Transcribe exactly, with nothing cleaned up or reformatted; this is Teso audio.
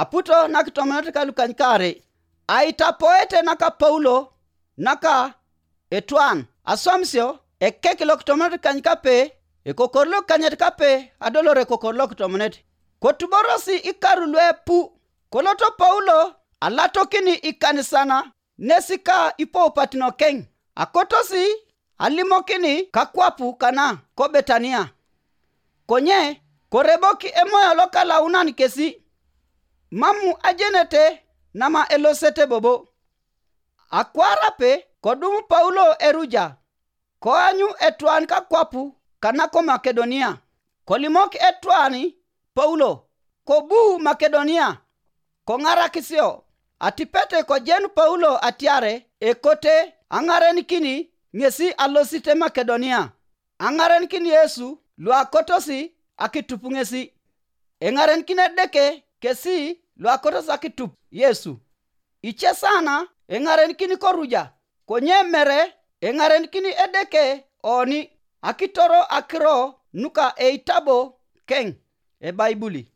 aputo nakitomonot kalukany kaarei. Aitapoete naka Paulo naka etwan aswamisio ekek lokitomonot kany kape, ekokor lokanyet kape adolor ekokor lokitomonet. Kotuborosi ikaru luepu. Koloto Paulo alatokini ikanisana nesi ka ipoupatino keny, akotosi alimokini kakwapu kana ko Betania. Konye korebok emoyo lokalaunan kesi, mamu ajenete nama elosete bobo. Akwaar ape kodum Paulo eruja, koanyu etwan kakwapu kana ko Makedonia. Kolimok etwan Paulo, kobu Makedonia, koŋarakisio. Atipete kojen Paulo atiare ekote aŋarenikini ŋesi alosit Makedonia, aŋarenikin Yesu luakotosi akitup ŋesi. Eŋarenikin Edeke kesi luakotosi akitup Yesu. Ice sana eŋarenikin koruja, konye mere eŋarenikin Edeke oni akitoro akiro nuka eitabo keŋ Ebaibuli.